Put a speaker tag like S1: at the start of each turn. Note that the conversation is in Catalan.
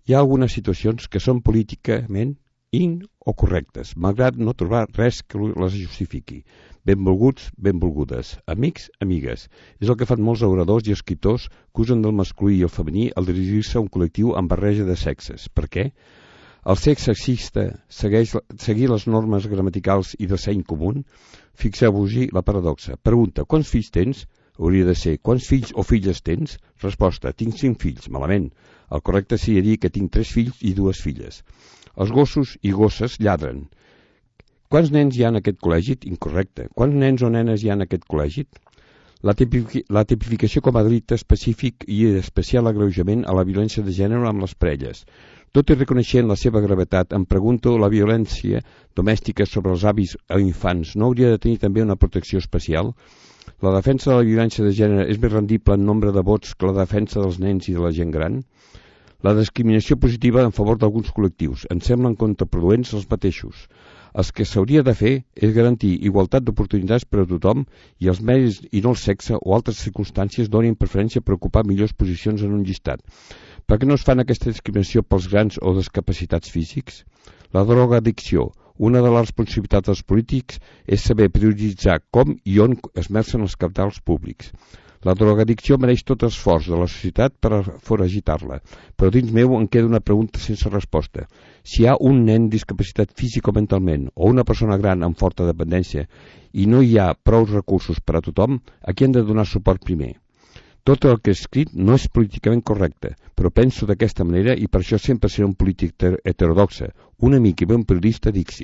S1: Hi ha algunes situacions que són políticament o correctes, malgrat no trobar res que les justifiqui. Benvolguts, benvolgudes, amics, amigues. És el que fan molts oradors i escriptors que usen del masculí i el femení al dirigir-se a un col·lectiu amb barreja de sexes. Per què? El sexe sexista seguir les normes gramaticals i de seny comú? Fixeu-vos-hi la paradoxa. Pregunta, quants fills tens? Hauria de ser, quants fills o filles tens? Resposta, tinc 5 fills. Malament. El correcte seria dir que tinc 3 fills i 2 filles. Els gossos i gosses lladren. Quants nens hi ha en aquest col·legi? Incorrecte. Quants nens o nenes hi ha en aquest col·legi? La tipificació com a delicte específic i especial agreujament a la violència de gènere amb les parelles. Tot i reconeixent la seva gravetat, em pregunto, la violència domèstica sobre els avis o infants no hauria de tenir també una protecció especial? La defensa de la violència de gènere és més rendible en nombre de vots que la defensa dels nens i de la gent gran? La discriminació positiva en favor d'alguns col·lectius ens semblen contraproduents els mateixos. El que s'hauria de fer és garantir igualtat d'oportunitats per a tothom i els mèrits i no el sexe o altres circumstàncies donin preferència per ocupar millors posicions en un llistat. Per què no es fan aquesta discriminació pels grans o discapacitats físics? La drogoaddicció. Una de les responsabilitats dels polítics és saber prioritzar com i on esmercen els cabals públics. La drogoaddicció mereix tot l'esforç de la societat per foragitar-la, però dins meu em queda una pregunta sense resposta. Si hi ha un nen discapacitat físic o mentalment o una persona gran amb forta dependència i no hi ha prou recursos per a tothom, a qui hem de donar suport primer? Tot el que he escrit no és políticament correcte, però penso d'aquesta manera i per això sempre seré un polític heterodoxe, un amic i bon periodista d'Ixit.